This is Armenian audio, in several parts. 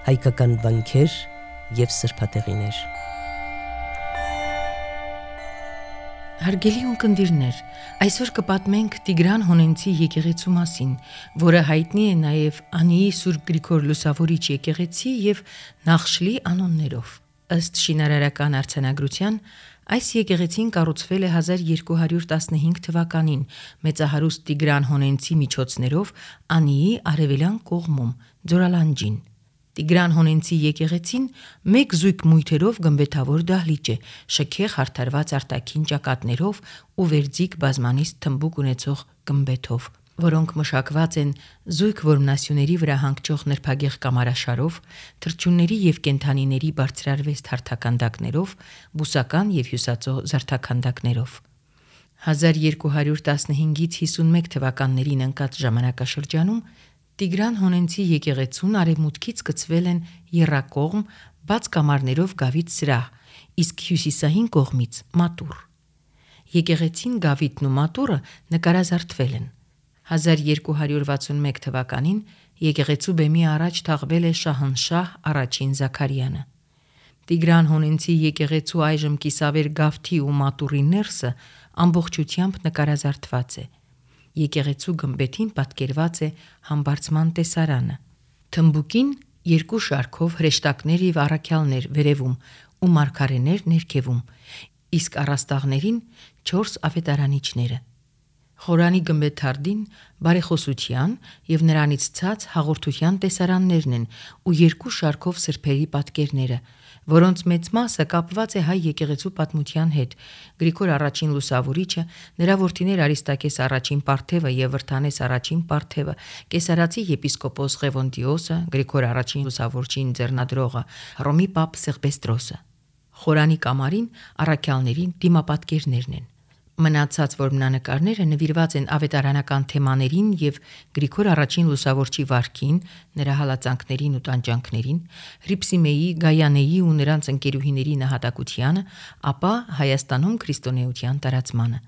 հայկական վանքեր և սրբատեղիներ։ Հարգելի ունկնդիրներ, այսօր կպատմենք Տիգրան Հոնենցի եկեղեցու մասին, որը հայտնի է նաև Անիի Սուրբ Գրիգոր Լուսավորիչ եկեղեցի և Նախշլի անուններով։ Ըստ շինարարական արձանագրության, այս եկեղեցին կառուցվել է 1215 թվականին մեծահարուստ Տիգրան Հոնենցի միջոցներով Անիի արևելյան կողմում, Ձորալանջին։ Տիգրան Հոնենցի եկեղեցին մեկ զույգ մույթերով գմբեթավոր դահլիճ է, շքեղ հարդարված արտաքին ճակատներով ու վերձիկ բազմանիստ թմբուկ ունեցող գմբեթով, որոնք մշակված են զույգ որմնասյուների վրա հանգչող նրբագեղ կամարաշարով, թռչունների և կենդանիների բարձրարվեստ հարթաքանդակներով, բուսական և հյուսածո զարդաքանդակներով։ 1215-ից 51 թվականներին ընկած ժամանակաշրջանում Տիգրան Հոնենցի եկեղեցուն արևմուտքից գծվել են եռակողմ բաց կամարներով գավիթ սրահ, իսկ հյուսիսային կողմից մատուռ։ Եկեղեցին, գավիթն ու մատուռը նկարազարդվել են։ 1261 թվականին եկեղեցու բեմի առաջ թաղվել է Շահնշահ առաջին Զաքարյանը։ Տիգրան Հոնենցի եկեղեցու այժմ կիսավեր գավթի ու մատուռի ներսը ամբողջությամբ նկարազարդված է։ Եկեղեցու գմբեթին պատկերված է համբարձման տեսարանը։ Թմբուկին երկու շարքով հրեշտակներ և առաքյալներ վերևում ու մարգարեներ ներքևում, իսկ առաստաղներին 4 ավետարանիչները։ Խորանի գմբեթարդին բարեխոսության և նրանից ցած հաղորդության տեսարաններն են ու երկու շարքով սրբերի պատկերները, որոնց մեծ մասը կապված է հայ եկեղեցու պատմության հետ։ Գրիգոր առաջին Լուսավորիչը, նրա որդիներ Արիստակես առաջին Պարթևը և Վրթանես առաջին Պարթևը, կեսարացի եպիսկոպոս Ղևոնդիոսը, Գրիգոր առաջին Լուսավորչին ձեռնադրողը, Հռոմի պապ Սեղբեստրոսը։ Խորանի կամարին առաքյալներին դիմապատկերներն են։ Մնացած որմնանկարները նվիրված են ավետարանական թեմաներին և Գրիգոր առաջին Լուսավորչի վարքին, նրա հալածանքներին ու տանջանքներին, Հրիփսիմեի, Գայանեի ու նրանց ընկերուհիների նահատակությանը, ապա Հայաստանում քրիստոնեության տարածմանը։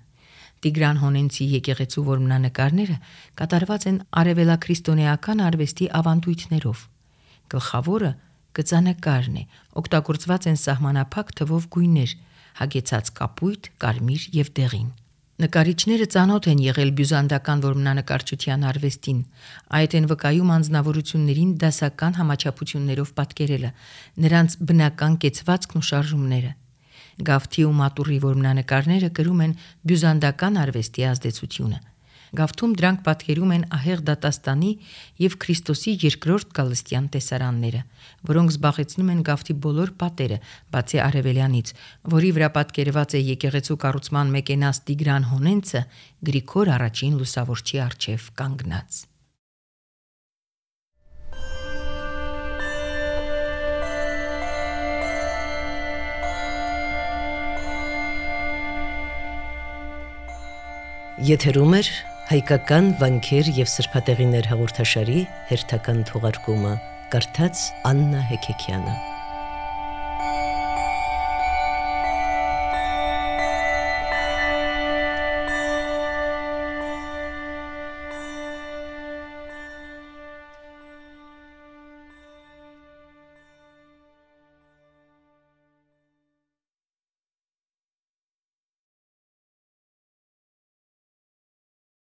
Տիգրան Հոնենցի եկեղեցու որմնանկարները կատարված են արևելաքրիստոնեական արվեստի ավանդույթներով։ Գլխավորը գծանկարն է, օգտագործված են սահմանափակ թվով գույներ՝ հագեցած կապույտ, կարմիր և դեղին։ Նկարիչները ծանոթ են եղել բյուզանդական որմնանկարչության արվեստին, այդ են վկայում անձնավորություններին դասական համաչափություններով պատկերելը, նրանց բնական կեցվածքն ու շարժումները։ Գավթի ու մատուռի որմնանկարները կրում են բյուզանդական արվեստի ազդեցությունը։ Գավթում դրանք պատկերում են ահեղ դատաստանի և Քրիստոսի երկրորդ գալստյան տեսարանները, որոնք զբաղեցնում են գավթի բոլոր պատերը, բացի արևելյանից, որի վրա պատկերված է եկեղեցու կառուցման մեկենաս Տիգրան Հոնենցը Գրիգոր առաջին Լուսավորչի առջև կանգնած։ Եթերում է հայկական վանքեր և սրբատեղիներ հաղորդաշարի հերթական թողարկումը, կարդաց Աննա Հեքեքյանը։